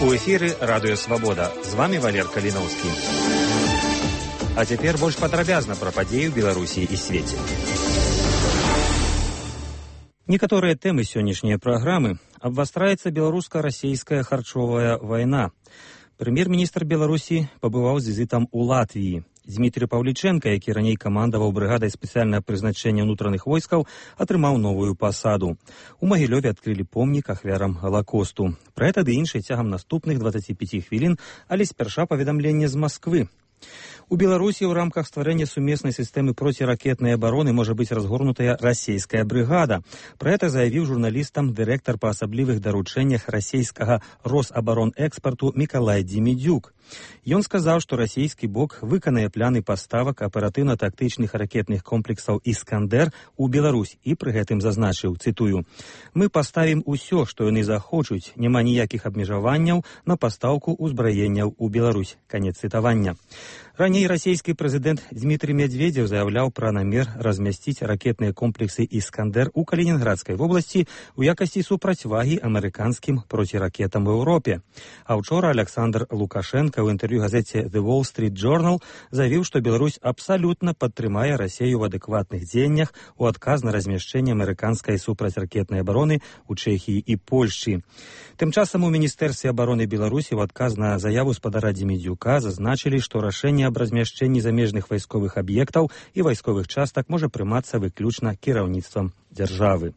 У эфіры радыё Свабода. З вами Валер Каліноўскі. А цяпер больш падрабязна пра падзеі ў Беларусі і свеце. Некаторыя тэмы сённяшняй праграмы. Абвастраецца беларуска-расейская харчовая вайна. Прэм'ер-міністр Беларусі пабываў з візітам у Латвіі. Дмітрий Павліченко, які раней камандаваў брыгадай спецыяльнага прызначэння ўнутраных войскаў, атрымаў новую пасаду. У Магілёве адкрылі помнік ахвярам Галакосту. Пра гэта ды іншае цягам наступных 25 хвілін, але спярша паведамленне з Масквы. У Беларусі ў рамках стварэння сумеснай сістэмы проціракетнай абароны можа быць разгорнутая расійская брыгада. Пра гэта заявіў журналістам дырэктар па асаблівых даручэннях расійскага Росабаронэкспарту Мікалай Дзімідзюк. Ён сказаў, што расійскі бок выканае пляны паставак аператыўна-тактычных ракетных комплексаў «Іскандер» у Беларусь і пры гэтым зазначыў, цытую, «Мы паставім усё, што яны захочуць, няма ніякіх абмежаванняў на пастаўку ўзбраенняў у Беларусь». Канец цытавання. Раней расійскі прэзідэнт Дмітрий Медведзев заяўляў пра намер размясціць ракетныя комплексы «Іскандер» у Калінінградскай вобласці ў якасці супрацьвагі амерыканскім проціракетам у Еўропе. А ўчора Александр Лукашенко ў інтэрв'ю газеце The Wall Street Journal заявіў, што Беларусь абсалютна падтрымае Расію ў адэкватных дзеяннях у адказ на размяшчэнне амерыканскай супрацьракетнай абароны ў Чэхіі і Польшчы. Тым часам у Міністэрстве абароны Беларусі ў адказ на заяву спадара Дзімідзюка зазначылі, што рашэнне аб размяшчэнні замежных вайсковых аб'ектаў і вайсковых частак можа прымацца выключна кіраўніцтвам дзяржавы.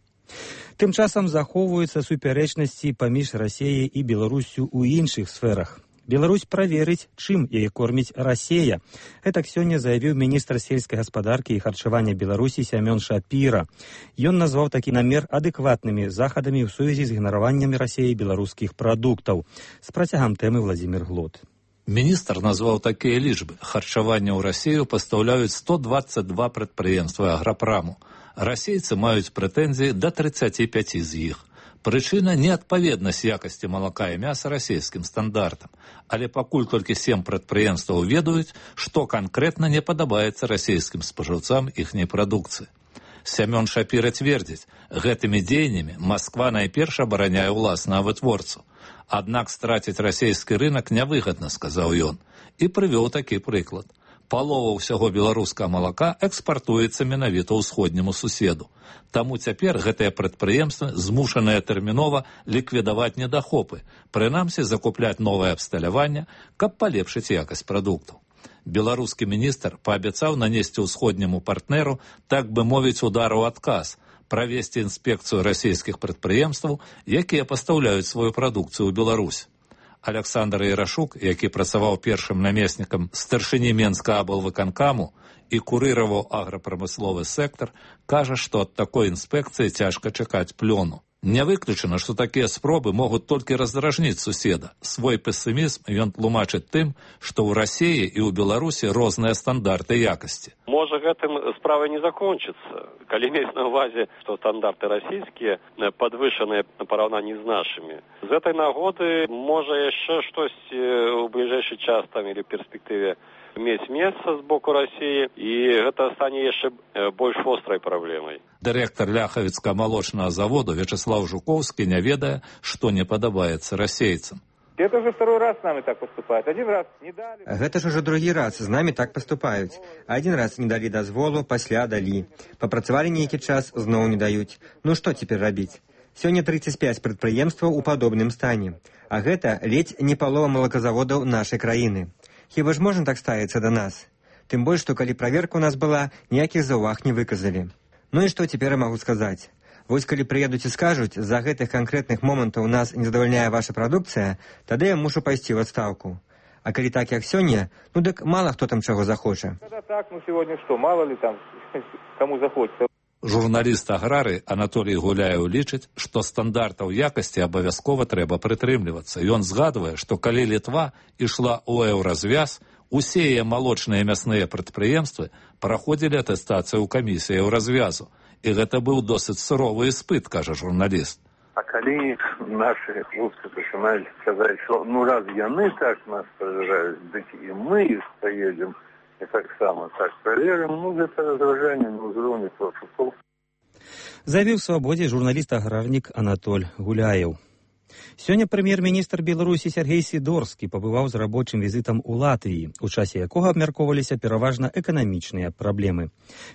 Тым часам захоўваюцца супярэчнасці паміж Расіяй і Беларусю ў іншых сферах. Беларусь праверыць, чым яе корміць Расія. Гэтак сёння заявіў міністр сельскай гаспадаркі і харчавання Беларусі Сямён Шапіра. Ён назваў такі намер адэкватнымі захадамі ў сувязі з ігнараваннем Расіяй беларускіх прадуктаў. З працягам тэмы Владзімір Глот. Міністр назваў такія лічбы. Харчаванне ў Расію пастаўляюць 122 прадпрыемствы аграпраму. Расейцы маюць прэтэнзіі да 35 з іх. Прычына – неадпаведнасць якасці малака і мяса расійскім стандартам. Але пакуль толькі 7 прадпрыемстваў ведаюць, што канкрэтна не падабаецца расійскім спажыўцам іхняй прадукцыі. Сямён Шапіра цвердзіць, гэтымі дзеяннямі Масква найперш абараняе ўласнага вытворцу. Аднак страціць расійскі рынак нявыгадна, сказаў ён, і прывёў такі прыклад. Палова ўсяго беларускага малака экспартуецца менавіта ўсходняму суседу. Таму цяпер гэтыя прадпрыемствы змушаныя тэрмінова ліквідаваць недахопы, прынамсі закупляць новае абсталяванне, каб палепшыць якасць прадуктаў. Беларускі міністр паабяцаў нанесці ўсходняму партнеру, так бы мовіць, удар у адказ, правесці інспекцыю расійскіх прадпрыемстваў, якія пастаўляюць сваю прадукцыю ў Беларусь. Александр Ярашук, які працаваў першым намеснікам старшыні Менскага аблвыканкаму і курыраваў аграпрамысловы сектар, кажа, што ад такой інспекцыі цяжка чакаць плёну. Не выключана, што такія спробы могуць толькі раздражніць суседа. Свой песімізм ён тлумачыць тым, што ў Расіі і ў Беларусі розныя стандарты якасці. Можа, гэтым справа не закончыцца. Калі мець на ўвазе, што стандарты расійскія падвышаныя на параўнанні з нашымі. З гэтай нагоды можа яшчэ штосьці ў бліжэйшы час там или перспектыве мець месца з боку Расіі, і гэта стане яшчэ больш вострай праблемай. Дырэктар Ляхавіцкага малочнага заводу Вячеслав Жуковскі не ведае, што не падабаецца расейцам. Это уже второй раз с нами так поступают. Один раз не дали. Гэта ж уже другі раз з нами так поступаюць. Один раз не далі дазволу, пасля далі. Папрацавалі нейкі час, зноў не даюць. Ну што цяпер рабіць? Сёння 35 прадпрыемстваў у падобным стане. А гэта ледзь не палова малаказаводаў нашай краіны. Хіба ж можна так ставіцца да нас? Тым больш, што калі праверка ў нас была, ніякіх заўваг не выказалі. Ну і што цяпер я магу сказаць? Вось калі прыедуць і скажуць, з-за гэтых канкрэтных момантаў нас не задавальняе ваша прадукцыя, тады я мушу пайсці ў адстаўку. А калі так, як сёння, ну дык мала хто там чаго захоча. Когда так, ну сегодня что, мало ли там, кому захочется. Журналіст аграрый Анатолій Гуляеў лічыць, што стандартаў якасці абавязкова трэба прытрымлівацца. Ён згадвае, што калі Літва ішла ў еўразвяз, усе яе малочныя мясныя прадпрыемствы праходзілі атэстацыю ў камісіі еўразвязу. І гэта быў досыць суровы іспыт, кажа журналіст. А калі нашы хлопцы пачынаюць казаць, што ну раз яны так нас пражыраюць, дык і мы іх паедзем, і таксама так праверым, ну гэта раздражэнне на ўзроўні пошукаў. Заявіў у «Свабодзе» журналіст-аграрнік Анатоль Гуляеў. Сёння прэм'ер-міністр Беларусі Сяргей Сідорскі пабываў з рабочым візітам у Латвіі, у часе якога абмяркоўваліся пераважна эканамічныя праблемы.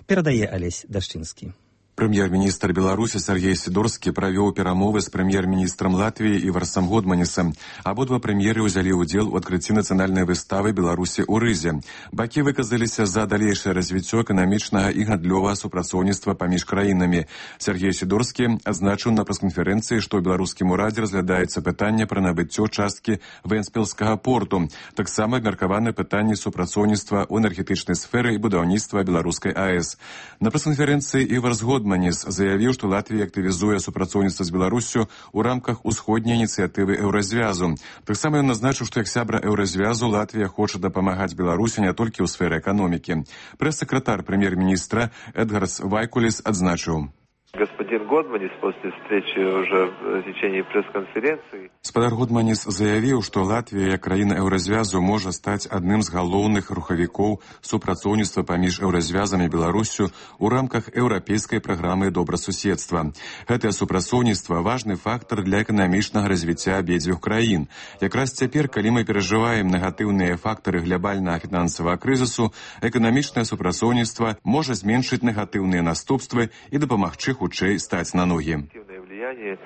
Перадае Алесь Дашчынскі. Прэм'ер-міністр Беларусі Сяргей Сідорскі правёў перамовы з прэм'ер-міністрам Латвіі Іварсам Годманісам. Абодва прэм'еры ўзялі ўдзел у адкрыцці нацыянальнай выставы Беларусі ў Рызе. Бакі выказаліся за далейшае развіццё эканамічнага і гандлёвага супрацоўніцтва паміж краінамі. Сяргей Сідорскі адзначыў на прэс-канферэнцыі, што ў беларускім урадзе разглядаецца пытанне пра набыццё часткі Вэнспілскага порту. Таксама абмеркаваны пытанні супрацоўніцтва ў энергетычнай сферы і будаўніцтва беларускай АЭС. На прэс-канферэнцыі Іварс Годманіс заявіў, што Латвія актывізуе супрацоўніцтва з Беларуссю ў рамках усходняй ініцыятывы Еўразвязу. Таксама ён назначыў, што як сябра Еўразвязу Латвія хоча дапамагаць Беларусі не толькі ў сферы эканомікі. Прэс-сакратар прэм'ер-міністра Эдгарс Вайкуліс адзначыў. Господин Годманис после встречи уже в течение пресс-конференции. Спадар Годманис заявіў, што Латвія, як краіна Еўразвязу, можа стаць адным з галоўных рухавікоў супрацоўніцтва паміж Еўразвязам і Беларуссю ў рамках еўрапейскай праграмы добрасуседства. Гэтае супрацоўніцтва важны фактар для эканамічнага развіцця абедзвюх краін. Якраз цяпер, калі мы перажываем негатыўныя фактары глобальнага фінансавага крызісу, эканамічнае супрацоўніцтва можа зменшыць негатыўныя наступствы і дапамагчы хутчэй стаць на ногі.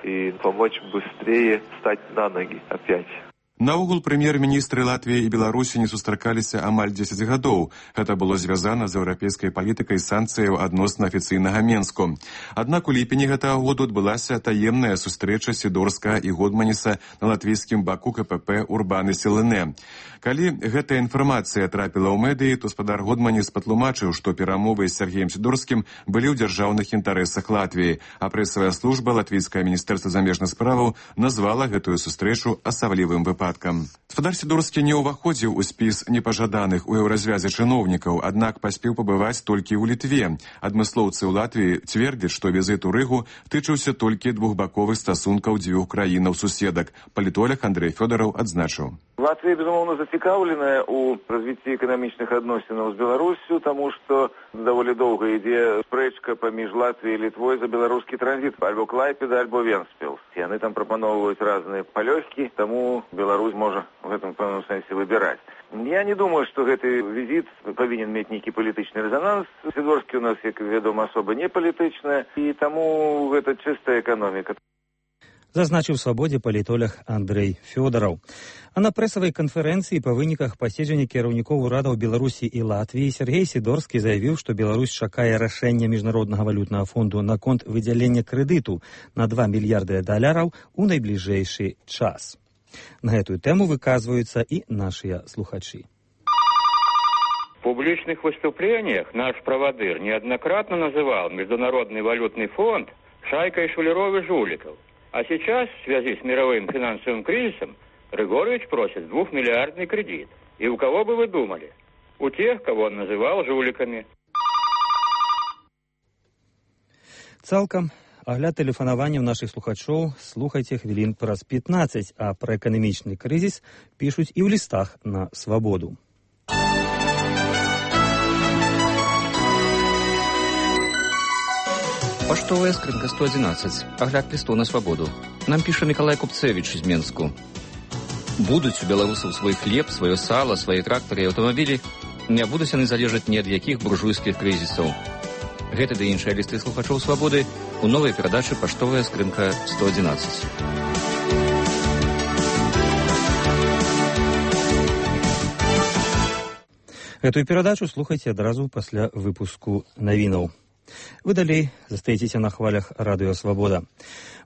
И помочь быстрее стать на ноги опять. Наогул прэм'ер-міністры Латвіі і Беларусі не сустракаліся амаль 10 гадоў. Гэта было звязана з еўрапейскай палітыкай санкцыяў адносна афіцыйнага Менску. Аднак у ліпені гэтага году адбылася таемная сустрэча Сідорскага і Годманіса на латвійскім баку КПП «Урбаны Селене». Калі гэтая інфармацыя трапіла ў медыі, то спадар Годманіс патлумачыў, што перамовы з Сяргеем Сідорскім былі ў дзяржаўных інтарэсах Латвіі, а прэсавая служба Латвійскае міністэрства замежных справаў назвала гэтую сустрэчу асаблівым выпадкам. Спадар Сідорскі не ўваходзіў у спіс непажаданых у еўразвязе чыноўнікаў, аднак паспеў пабываць толькі ў Літве. Адмыслоўцы ў Латвіі цвердзяць, што візіт у Рыгу тычыўся толькі двухбаковых стасункаў дзвюх краінаў-суседак. Палітолог Андрэй Фёдараў адзначыў. Латвия, безумовно, зацікавлена у развитии экономічных адносінаў з Беларусью, тому что довольно долго ідзе спрэчка паміж Латвией и Литвой за беларускі транзит, альбо Клайпеда, альбо Венспилс. И они там пропановывают разные палёгкі, тому Беларусь может в этом пэўным сэнсе выбирать. Я не думаю, что гэты визит повинен иметь некий политичный резонанс. Сідорскі у нас, як вядома, особо не палітычная, и тому это чистая экономика. Зазначыў свабодзе палітолог Андрэй Фёдараў. А на прэсавай канферэнцыі па выніках паседжання кіраўнікоў урадаў Беларусі і Латвіі Сяргей Сідорскі заявіў, што Беларусь чакае рашэння Міжнароднага валютнага фонду наконт выдзялення крэдыту на $2 мільярды у найбліжэйшы час. На гэтую тэму выказваюцца і нашыя слухачы. В публичных выступлениях наш проводыр неоднократно называл Международный валютный фонд шайкой шулеров и жуликов. А сейчас, в связи с мировым финансовым кризисом, Григорьевич просит 2-миллиардный кредит. И у кого бы вы думали? У тех, кого он называл жуликами. Цалкам агляд тэлефанаванняў нашых слухачоў слухайце хвілін праз 15, а пра эканамічны крызіс пішуць і ў лістах на свабоду. Поштовая скринка 111. Огляд листов на свободу. Нам пишет Миколай Купцевич из Менску. Будуць у беларусаў свой хлеб, сваё сало, свои тракторы и аўтамабілі, не будуць яны залежаць ні ад якіх буржуйскіх крызісаў. Гэта ды іншыя лісты слухачоў свабоды у новай перадачы «Поштовая скринка 111». Гэтую перадачу слухайце адразу пасля выпуску навінаў. Вы далей застаецеся на хвалях радыё «Свабода».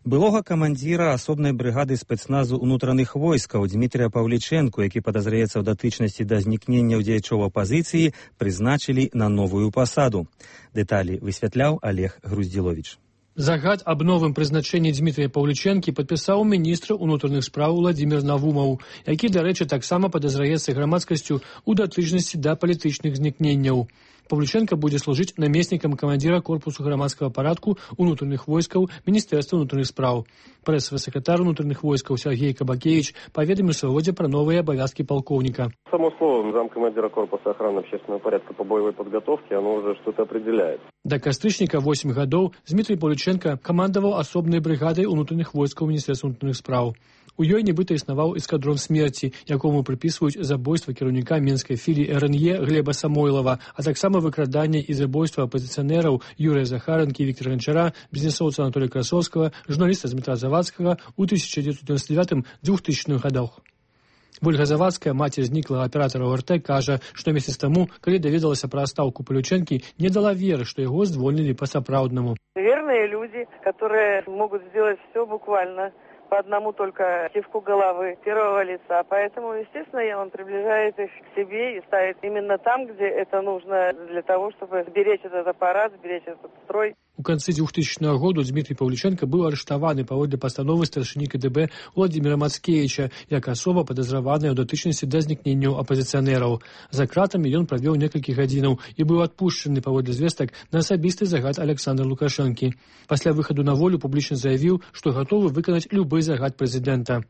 Былога камандзіра асобнай брыгады спецназу ўнутраных войскаў Дмітрія Паўлічэнку, які падазраецца ў датычнасці да знікнення дзеячоў апазіцыі, прызначылі на новую пасаду. Дэталі высвятляў Олег Груздзіловіч. Загад аб новым прызначэнні Дмітрія Паўлічэнкі падпісаў міністр унутраных спраў Владзімір Навумаў, які, дарэчы, таксама падазраецца грамадскасцю ў датычнасці да палітычных знікненняў. Павлюченко будзе служыць намеснікам камандзіра корпусу грамадскага парадку унутраных войскаў Міністэрства ўнутраных спраў. Прэсавы сакратар унутраных войскаў Сергей Кабакевич паведаміў свабодзе пра новыя абавязкі полковника. Само слово замкомандира корпуса охраны общественного порядка по боевой подготовке, оно уже что-то определяет. Да кастрычніка 8 гадоў Дмітрый Павлюченко камандаваў асобнай брыгадай унутраных войскаў Міністэрства ўнутраных спраў. У ёй нібыта існаваў эскадрон смерці, якому прыпісваюць забойства кіраўніка менскай філіі РНЕ Глеба Самойлова, а таксама выкраданне і забойства апазіцыянераў Юрыя Захаранкі і Віктора Ганчара, бізнесоўца Анатолія Красовскага, журналіста Дмітра Завадскага ў 1999-2000 гадах. Вольга Завадская, маці зніклага аператара ОРТ, кажа, што месяц таму, калі даведалася пра адстаўку Павлючэнкі, не дала веры, што яго звольнілі па-сапраўднаму. Верные люди, которые могут сделать все буквально по одному только кивку головы первого лица. Поэтому, естественно, он приближает их к себе и ставит именно там, где это нужно для того, чтобы сберечь этот аппарат, сберечь этот строй. У канцы 2000 году Дмітрый Павлюченко быў арыштаваны паводле пастановы старшыні КДБ Владимира Мацкевича як асоба падазраваная ў датычнасці да знікненняў апазіцыянераў. За кратамі ён правёў некалькі гадзінаў і быў адпушчаны паводле звестак на асабісты загад Александра Лукашэнкі. Пасля выхаду на волю публічна заявіў, што гатовы выканаць любы загад прэзідэнта.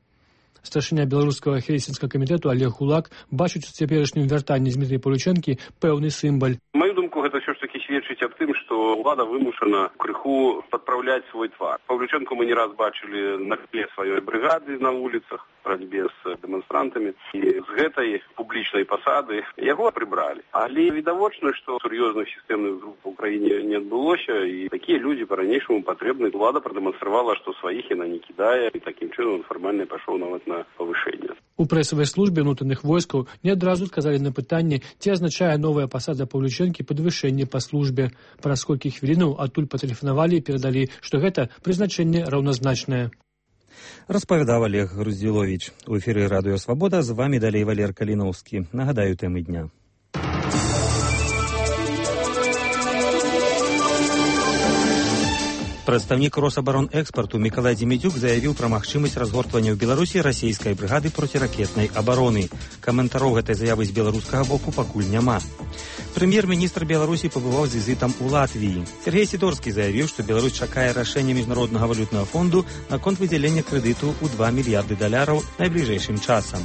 Старшыня беларускага хельсінскага камітэту Олег Гулак бачыць у цяперашнім вяртанні Дмітрыя Павлючэнкі пэўны сімбаль. Маю думку, гэта ўсё ж таки сведчыць аб тым, што ўлада вымушана крыху падпраўляць свой твар. Павлючэнку мы не раз бачылі на тле сваёй брыгады на вуліцах, барацьбе з дэманстрантамі, і з гэтай публічнай пасады яго прыбралі. Але відавочна, што сур'ёзных сістэмных груп у краіне не адбылося, і такія людзі па-ранейшаму патрэбны. Улада прадэманстравала, што сваіх яна не кідае, і такім чынам фармальна пайшоў нават на павышэнне. У прэсавай службе ўнутраных войскаў не адразу адказалі на пытанне, ці азначае новая пасада Павлючэнкі падвышэнне па службе. Праз колькі хвілінаў адтуль патэлефанавалі і перадалі, што гэта прызначэнне раўназначнае. Распавядаў Олег Груздзіловіч. У эфіры Радыё Свабода, з вамі далей Валер Каліноўскі. Нагадаю тэмы дня. Прадстаўнік Росабаронэкспарту Мікалай Дземідзюк заявіў пра магчымасць разгортвання ў Беларусі расійскай брыгады проціракетнай абароны. Каментараў гэтай заявы з беларускага боку пакуль няма. Прэм'ер-міністр Беларусі пабываў з візітам у Латвіі. Сергей Сідорскі заявіў, што Беларусь чакае рашэння Міжнароднага валютнага фонду наконт выдзялення крэдыту ў $2 мільярды найбліжэйшым часам.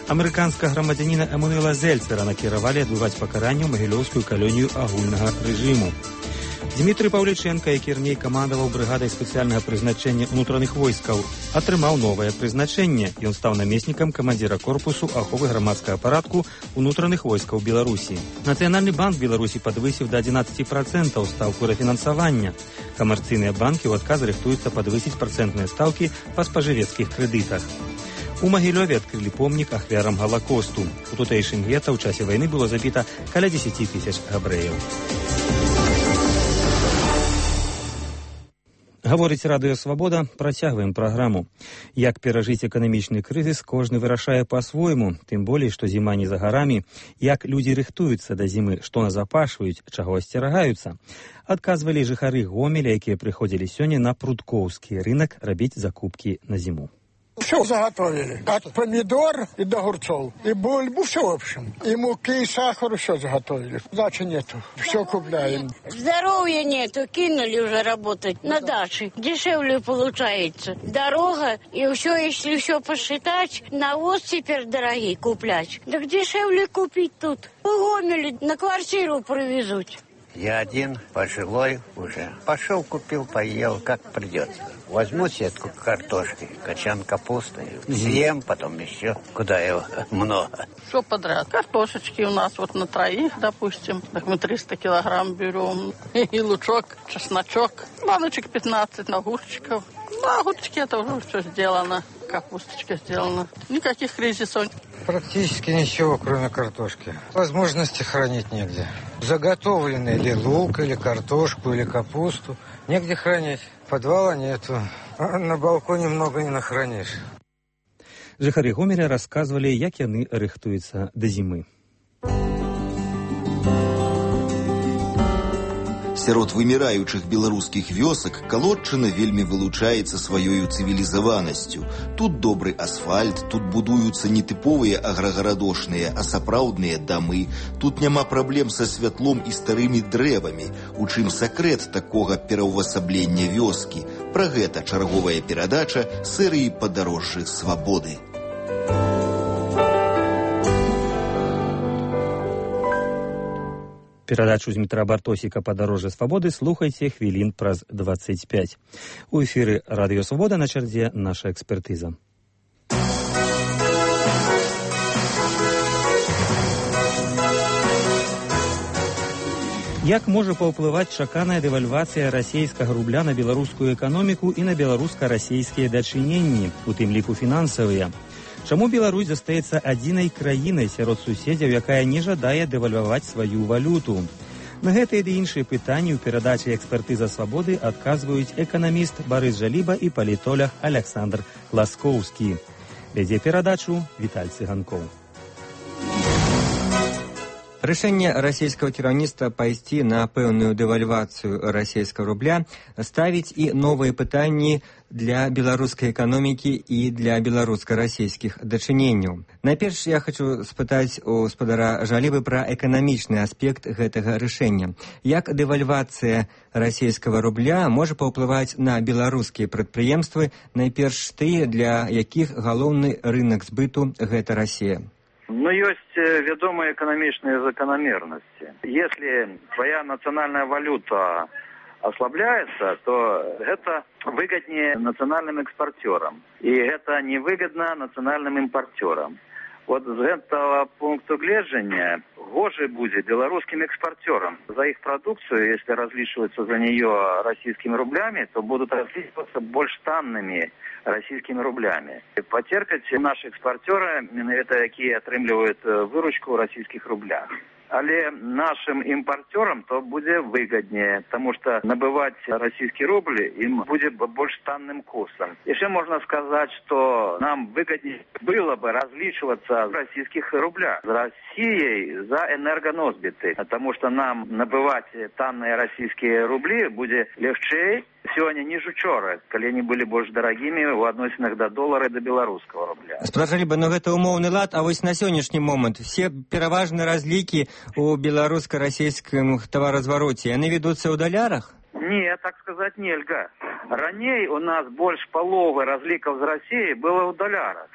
Амерыканскага грамадзяніна Эмануэла Зельцера накіравалі адбываць пакаранне ў магілёўскую калонію агульнага рэжыму. Дмітрый Павлюченко, які раней камандаваў брыгадай спецыяльнага прызначэння ўнутраных войскаў, атрымаў новае прызначэнне. Ён стаў намеснікам камандзіра корпусу аховы грамадскага парадку ўнутраных войскаў Беларусі. Нацыянальны банк Беларусі падвысіў да 11% стаўку рэфінансавання. Камерцыйныя банкі ў адказ рыхтуюцца падвысіць працэнтныя стаўкі па спажывецкіх крэдытах. У Магілёве адкрылі помнік ахвярам Галакосту. У тутэйшым гета ў часе вайны было забіта каля 10 000 габрэяў. Гаворыць Радыё Свабода, працягваем праграму. Як перажыць эканамічны крызіс, кожны вырашае па-свойму, тым болей, што зіма не за гарамі. Як людзі рыхтуюцца да зімы, што назапашваюць, чаго асцерагаюцца. Адказвалі жыхары Гомеля, якія прыходзілі сёння на прудкоўскі рынак рабіць закупкі на зіму. Все заготовили. От помидор и до огурцов. И бульбу, все в общем. И муки, и сахар, все заготовили. Дачи нету. Все купляем. Здоровья нету. Кинули уже работать на даче. Дешевле получается. Дорога и все, если все посчитать, навоз теперь дорогие куплять. Так дешевле купить тут. В Гомеле на квартиру привезут. Я один, пожилой уже. Пошел, купил, поел, как придется. Возьму сетку картошки, качан капусты, съем, потом еще. Куда его много. Все подряд. Картошечки у нас вот на троих, допустим. Так мы 300 килограмм берем. И лучок, чесночок. Баночек 15 огурчиков. На огурчики это уже все сделано. Капусточка сделана. Никаких кризисов. Практически ничего, кроме картошки. Возможности хранить негде. Заготовленный или лук, или картошку, или капусту. Негде хранить. Подвала нету. А на балконе много не нахранишь. Жыхары Гомеля расказвалі, як яны рыхтуюцца да зімы. Сярод вымираючых беларускіх вёсак Калодчына вельмі вылучаецца сваёю цывілізаванасцю. Тут добры асфальт, тут будуюцца не тыповыя аграгарадошныя, а сапраўдныя дамы. Тут няма праблем са святлом і старымі дрэвамі. У чым сакрэт такога пераўвасаблення вёскі? Пра гэта чарговая перадача серыі «Падарожжы свабоды». Перадачу Дмітра Бартосіка «Падарожжы свабоды» слухайце хвілін праз 25. У эфіры Радыё Свабода, на чарзе наша экспертыза. Як можа паўплываць чаканая дэвальвацыя расійскага рубля на беларускую эканоміку і на беларуска-расійскія дачыненні, у тым ліку фінансавыя? Чаму Беларусь застаецца адзінай краінай сярод суседзяў, якая не жадае дэвальваваць сваю валюту? На гэтыя ды іншыя пытанні ў перадачы «Экспертыза свабоды» адказваюць эканаміст Барыс Жаліба і палітолог Александр Ласкоўскі. Вядзе перадачу Віталь Цыганкоў. Рашэнне расійскага кіраўніцтва пайсці на пэўную дэвальвацыю расійскага рубля ставіць і новыя пытанні для беларускай эканомікі і для беларуска-расійскіх дачыненняў. Найперш я хочу спытаць у спадара Жалібы пра эканамічны аспект гэтага рашэння. Як дэвальвацыя расійскага рубля можа паўплываць на беларускія прадпрыемствы, найперш тыя, для якіх галоўны рынак збыту гэта Расія? Но есть ведомые экономичные закономерности. Если твоя национальная валюта ослабляется, то это выгоднее национальным экспортерам. И это невыгодно национальным импортерам. Вот з этого пункту гледжання гоже будет белорусским экспортерам. За их продукцию, если различиваются за нее российскими рублями, то будут различиваться больше танными российскими рублями. Потерпят наши экспортеры, это якія атрымліваюць выручку в российских рублях. Але нашим импортерам то будет выгоднее, потому что набывать российский рубль им будет больше танным курсом. Еще можно сказать, что нам выгоднее было бы различиваться в российских рублях с Россией за энергоносбиты, потому что нам набывать танные российские рубли будет легче сегодня, ніж учора, калі они были больше дорогими в адносінах до долара и до белорусского рубля. Спрашалі бы, но гэта умоўны лад, а вось на сённяшні момант все пераважныя разлікі у беларуска-расійскім таваразвароце, яны ведуцца ў далярах? Не, так сказать нельга. Раней у нас больше половы разлікаў з Россией было ў далярах.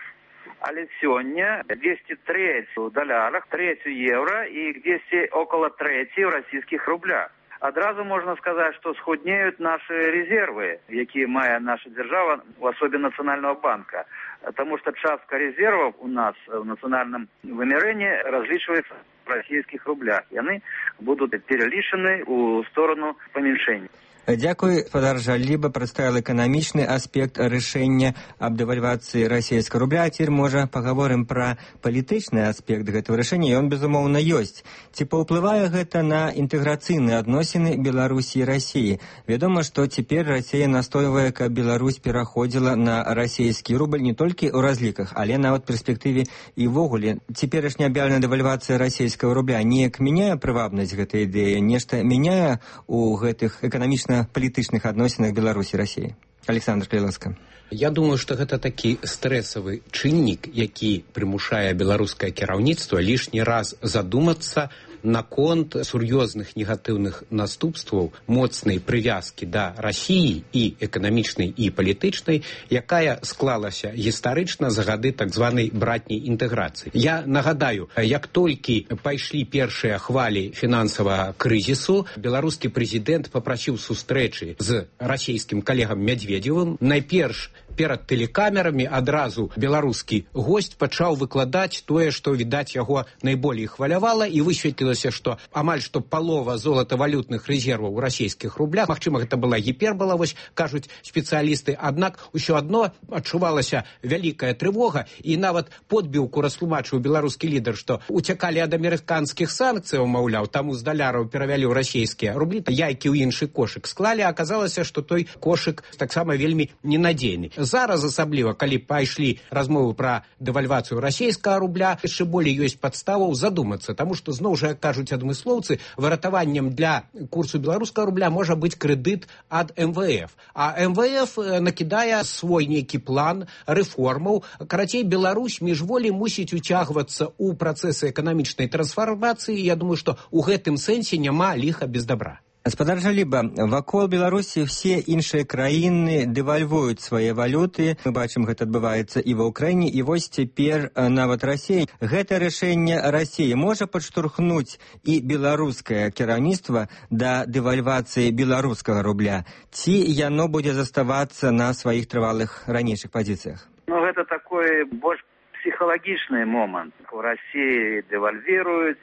Але сёння 203 ў далярах, 3 евро и 200 около 3 в российских рублях. Одразу можно сказать, что схуднеют наши резервы, якія мае наша держава, в особе Национального банка. Потому что частка резервов у нас в национальном вымярэнні различивается в российских рублях. И они будут перелічаны у сторону памяншэння. Дзякуй, спадар Жаліба прадставіў эканамічны аспект рашэння аб дэвальвацыі расійскага рубля. А цяпер, можа, пагаворым пра палітычны аспект гэтага рашэння, і ён, безумоўна, ёсць. Ці паўплывае гэта на інтэграцыйныя адносіны Беларусі і Расіі? Вядома, што цяпер Расія настойвае, каб Беларусь пераходзіла на расійскі рубль не толькі ў разліках, але нават перспектыве і ввогуле. Цяперашняя аб'яўленая дэвальвацыя расійскага рубля неяк мяняе прывабнасць гэтай ідэі, нешта мяняе ў гэтых эканамічна палітычных адносінах Беларусі і Расіі? Александр, калі ласка. Я думаю, што гэта такі стрэсавы чыннік, які прымушае беларускае кіраўніцтва лішні раз задумацца наконт сур'ёзных негатыўных наступстваў моцнай прывязкі да Расіі і эканамічнай і палітычнай, якая склалася гістарычна за гады так званай братняй інтэграцыі. Я нагадаю, як толькі пайшлі першыя хвалі фінансавага крызісу, беларускі прэзідэнт папрасіў сустрэчы з расійскім калегам Мядзведзевым. Найперш перад тэлекамерамі адразу беларускі госць пачаў выкладаць тое, што, відаць, яго найболей хвалявала, і высветлілася, што амаль што палова золатавалютных рэзерваў у расійскіх рублях, магчыма, гэта была гіпербола, вось кажуць спецыялісты, аднак усё адно адчувалася вялікая трывога, і нават подбіўку растлумачыў беларускі лідар, што уцякалі ад амерыканскіх санкцыяў, маўляў, таму з даляраў перавялі ў расійскія рублі, яйкі ў іншы кошык склалі, а аказалася, што той кошык таксама вельмі ненадзейны. зараз асабліва, калі пайшлі размовы пра дэвальвацыю расійскага рубля, яшчэ болей ёсць падставаў задумацца, таму што, зноў жа, як кажуць адмыслоўцы, выратаваннем для курсу беларускага рубля можа быць крэдыт ад МВФ. А МВФ накідае свой нейкі план рэформаў. Карацей, Беларусь міжволі мусіць уцягвацца ў працэсы эканамічнай трансфармацыі. Я думаю, што ў гэтым сэнсе няма ліха без добра. Гаспадар Жаліба, вакол Беларусі все іншыя краіны дэвальвуюць свае валюты. Мы бачым, гэта адбываецца і ва Ўкраіне, і вось цяпер нават Расія. Гэта рашэнне Расіі можа падштурхнуць і беларускае кіраўніцтва да дэвальвацыі беларускага рубля? Ці яно будзе заставацца на сваіх трывалых ранейшых пазіцыях? Ну, гэта такой больш психологичный момент. В России девальвируют,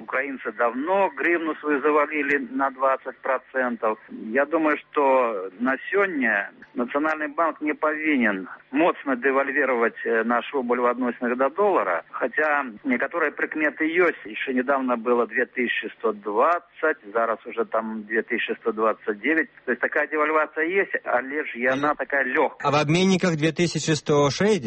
украинцы давно гривну свою завалили на 20%. Я думаю, что на сегодня Национальный банк не повинен моцно девальвировать наш рубль в отношении до доллара, хотя некоторые прикметы есть. Еще недавно было 2120, зараз уже там 2129. То есть такая девальвация есть, а лишь и она такая легкая. А в обменниках 2160 уже?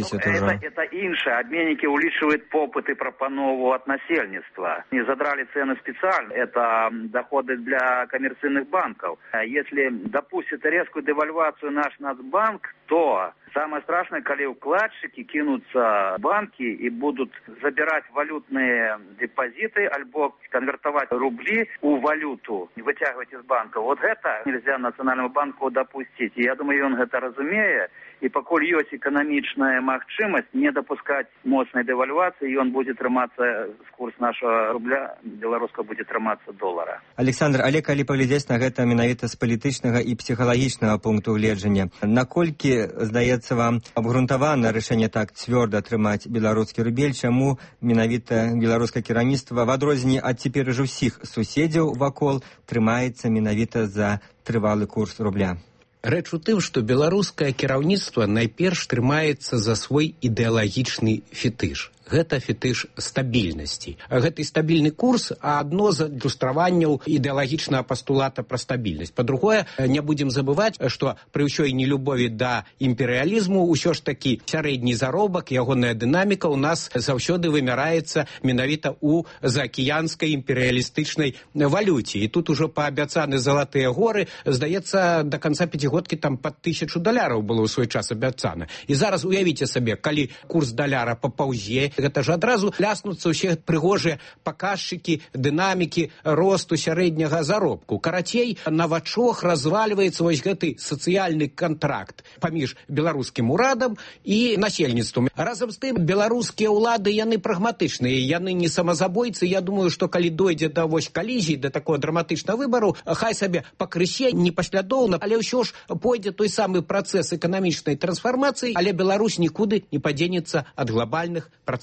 Это инше. Обменники увеличивают попыт и пропанову от насельництва. Не задрали цены специально. Это доходы для коммерческих банков. Если допустит резкую девальвацию наш Нацбанк, то самое страшное, когда вкладчики кинутся в банки и будут забирать валютные депозиты, альбо конвертовать рубли у валюту, вытягивать из банка. Вот это нельзя Национальному банку допустить. И я думаю, он это разумеет. И покуль есть экономичная махчимость не допускать мощной девальвации, и он будет трыматься с курс нашего рубля, белорусского будет трыматься доллара. Александр, але калі паглядзець на гэта менавіта з палітычнага і псіхалагічнага пункту гледжання, наколькі, здаецца вам, абгрунтавана рашэнне так цвёрда трымаць беларускі рубель, чаму менавіта беларускае кіраўніцтва, в адрозненні ад цяпер ужо ўсіх суседзяў вакол, трымаецца менавіта за трывалы курс рубля? Рэч у тым, што беларускае кіраўніцтва найперш трымаецца за свой ідэалагічны фетыш. Гэта фетыш стабільнасці. Гэты стабільны курс адно з адлюстраванняў ідэалагічнага пастулата пра стабільнасць. Па-другое, не будзем забываць, што пры ўсёй нелюбові да імперыялізму ўсё ж такі сярэдні заробак, ягоная дынаміка ў нас заўсёды вымяраецца менавіта ў заакіянскай імперыялістычнай валюце. І тут ужо паабяцаны залатыя горы, здаецца, да канца пяцігодкі там пад $1000 было ў свой час абяцана. І зараз уявіце сабе, калі курс даляра папаўзе, гэта ж адразу ляснуцца ўсе прыгожыя паказчыкі дынамікі росту сярэдняга заробку. Карацей, на вачох развальваецца вось гэты сацыяльны кантракт паміж беларускім урадам і насельніцтвам. Разам з тым, беларускія ўлады, яны прагматычныя, яны не самазабойцы. Я думаю, што калі дойдзе да вось калізіі, да такого драматычнага выбару, хай сабе пакрысе, непаслядоўна, але ўсё ж пойдзе той самы працэс эканамічнай трансфармацыі, але Беларусь нікуды не падзенецца ад глобальных працэсаў.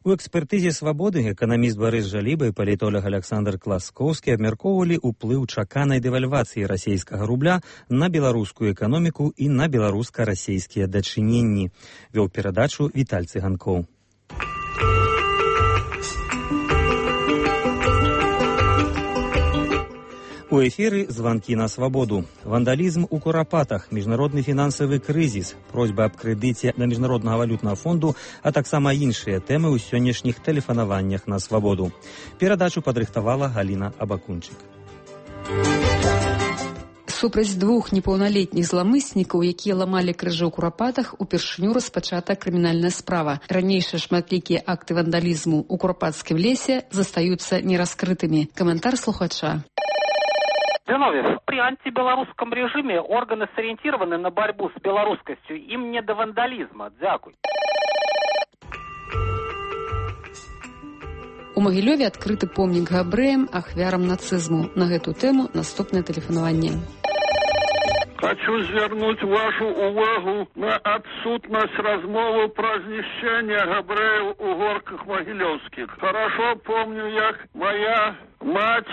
У экспертызе «Свабоды» эканаміст Барыс Жаліба і палітолог Александр Класкоўскі абмяркоўвалі ўплыў чаканай дэвальвацыі расійскага рубля на беларускую эканоміку і на беларуска-расійскія дачыненні. Вёў перадачу Віталь Цыганкоў. У эфіры «Званкі на свабоду». Вандалізм у Курапатах, міжнародны фінансавы крызіс, просьба аб крэдыце на Міжнароднага валютнага фонду, а таксама іншыя тэмы ў сённяшніх тэлефанаваннях на свабоду. Перадачу падрыхтавала Галіна Абакунчык. Супраць двух непаўналетніх зламыснікаў, якія ламалі крыжы ў Курапатах, упершыню распачата крымінальная справа. Ранейшыя шматлікія акты вандалізму ў Курапатскім лесе застаюцца нераскрытымі. Каментар слухача. Зиновьев, при антибелорусском режиме органы сориентированы на борьбу с белорусскостью. Им не до вандализма. Дякуй. У Магілёве адкрыты помнік габрэям, ахвярам нацызму. На гэту тэму наступнае тэлефанаванне. Хочу звернуть вашу увагу на отсутность размовы про знищение габреев у горках Могилевских. Хорошо помню, як моя мать,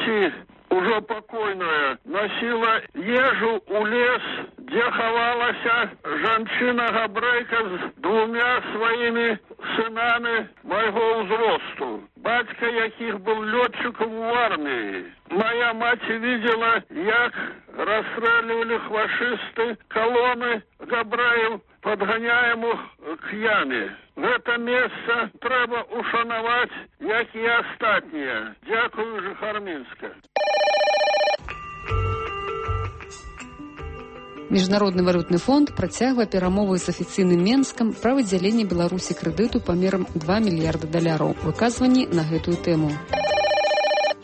уже покойная, носила ежу у лес, где ховалася жанчына-габрейка с двумя своими сынами моего взросту. Батька яких был летчиком в армии. Моя мать видела, як расстреливали фашисты колонны габрэяў падганяем к яме. Гэта месца трэба ушанаваць, як і астатнія. Дзякую, Жыхар Мінска. Міжнародны валютны фонд працягвае перамовы з афіцыйным Менскам пра выдзяленне Беларусі крэдыту памерам $2 мільярда. Выказванні на гэтую тэму.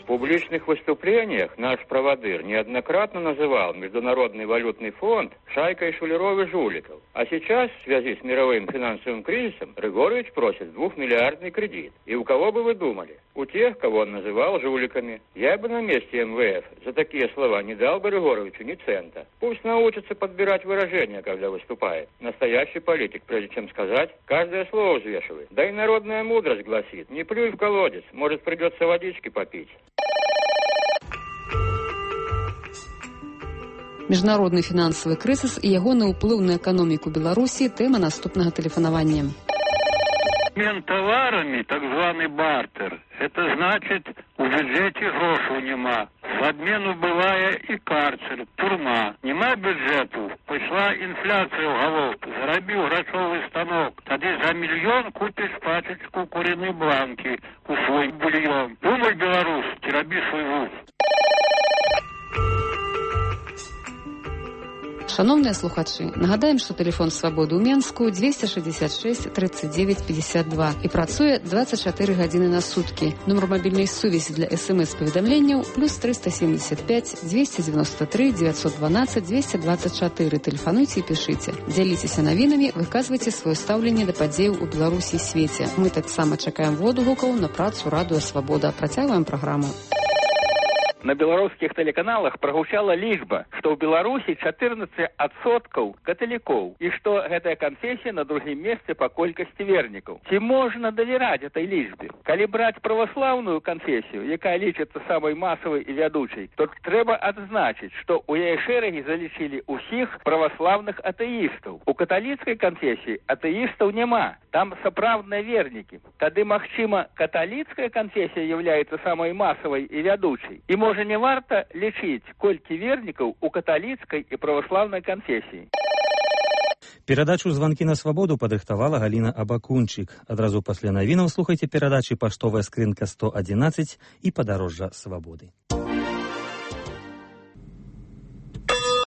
В публичных выступлениях наш праводыр неоднократно называл Международный валютный фонд шайкой шулеров и жуликов. А сейчас, в связи с мировым финансовым кризисом, Григорьевич просит 2-миллиардный кредит. И у кого бы вы думали? У тех, кого он называл жуликами. Я бы на месте МВФ за такие слова не дал бы Григорьевичу ни цента. Пусть научится подбирать выражения, когда выступает. Настоящий политик, прежде чем сказать, каждое слово взвешивает. Да и народная мудрость гласит: не плюй в колодец, может, придется водички попить. Міжнародны фінансавы крызіс і ягоны ўплыў на эканоміку Беларусі – тэма наступнага тэлефанавання. Обмен товарами, так званый бартер, это значит, у бюджете грошей нема. В обмену бывает и карцер, тюрьма. Нема бюджету, пошла инфляция в головку, заробил грошовый станок. Тогда за $1 миллион купишь пачечку куриной бланки у свой бульон. Думай, Беларусь, тероби свой вуз. Шановныя слухачы, нагадаем, што тэлефон свабоды ў Менску 266 39 52 і працуе 24 гадзіны на суткі. Нумар мабільнай сувязі для СМС-паведамленняў +375 293 912 224. Тэлефануйце і пішыце. Дзяліцеся навінамі, выказвайце сваё стаўленне да падзеяў у Беларусі і свеце. Мы таксама чакаем водгукаў на працу Радыё Свабода. Працягваем праграму. На беларускіх тэлеканалах прагучала лічба, што ў Беларусі 14% каталікоў і што гэтая канфесія на другім месцы па колькасці вернікаў. Ці можна давераць этой лічбе? Калі браць праваслаўную канфесію, якая лічыцца самай масавай і вядучай, то трэба адзначыць, што ў яе шэрагі залічылі ўсіх праваслаўных атэістаў. У каталіцкай канфесіі атэістаў няма, там сапраўдныя вернікі. Тады, магчыма, каталіцкая канфесія з'яўляецца самай масавай і вядучай. І можа не варта лічыць, колькі вернікаў у каталіцкай і праваслаўнай канфесіі. Перадачу «Звонки на свободу» падрыхтавала Галина Абакунчик. Адразу пасля навінаў слухайце перадачы «Паштовая скрынка 111» і «Падарожжа свабоды».